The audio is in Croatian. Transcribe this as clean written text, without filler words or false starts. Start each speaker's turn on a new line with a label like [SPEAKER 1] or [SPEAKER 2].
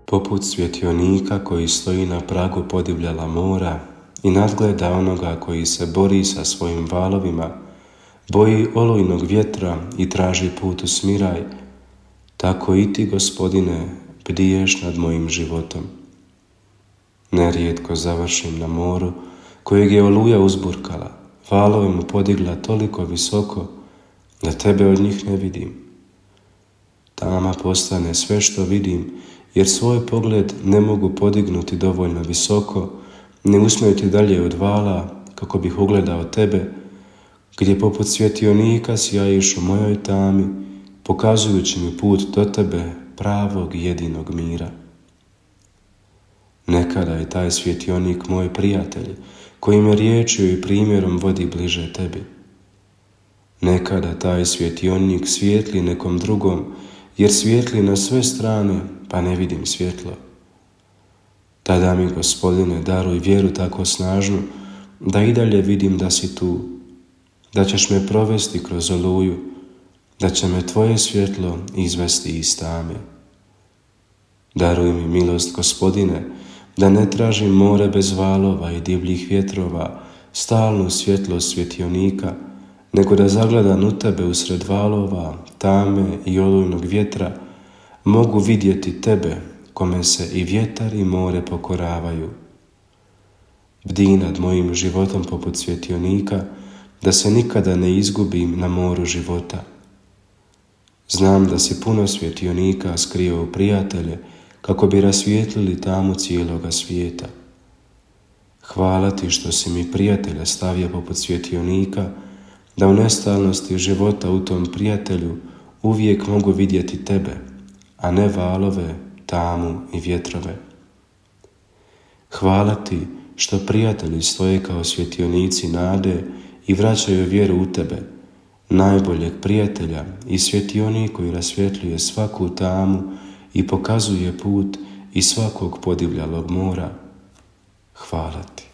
[SPEAKER 1] poput svjetionika koji stoji na pragu podivljala mora i nadgleda onoga koji se bori sa svojim valovima, boji olujnog vjetra i traži put u smiraj, tako i ti, Gospodine, bdiješ nad mojim životom. Nerijetko završim na moru, kojeg je oluja uzburkala, valove mu podigla toliko visoko, da tebe od njih ne vidim. Tama postane sve što vidim, jer svoj pogled ne mogu podignuti dovoljno visoko, ne usmjeriti dalje od vala, kako bih ugledao tebe, gdje poput svjetionika sjajiš u mojoj tami, pokazujući mi put do tebe, pravog i jedinog mira. Nekada je taj svjetionik moj prijatelj, koji me riječju i primjerom vodi bliže tebi. Nekada taj svjetionik svijetli nekom drugom, jer svijetli na sve strane, pa ne vidim svjetlo. Tada mi, Gospodine, daruj vjeru tako snažnu, da i dalje vidim da si tu, da ćeš me provesti kroz oluju, da će me tvoje svjetlo izvesti iz tame. Daruj mi milost, Gospodine, da ne tražim more bez valova i divljih vjetrova, stalnu svjetlost svjetionika, nego da zagledam u tebe usred valova, tame i olujnog vjetra, mogu vidjeti tebe, kome se i vjetar i more pokoravaju. Bdij nad mojim životom poput svjetionika, da se nikada ne izgubim na moru života. Znam da si puno svjetionika skrio u prijatelje, kako bi rasvijetlili tamu cijeloga svijeta. Hvala ti što si mi prijatelja stavio poput svjetionika, da u nestalnosti života u tom prijatelju uvijek mogu vidjeti tebe, a ne valove, tamu i vjetrove. Hvala ti što prijatelji stoje kao svjetionici nade i vraćaju vjeru u tebe, najboljeg prijatelja i svjetionik koji rasvjetljuje svaku tamu i pokazuje put iz svakog podivljalog mora. Hvala ti.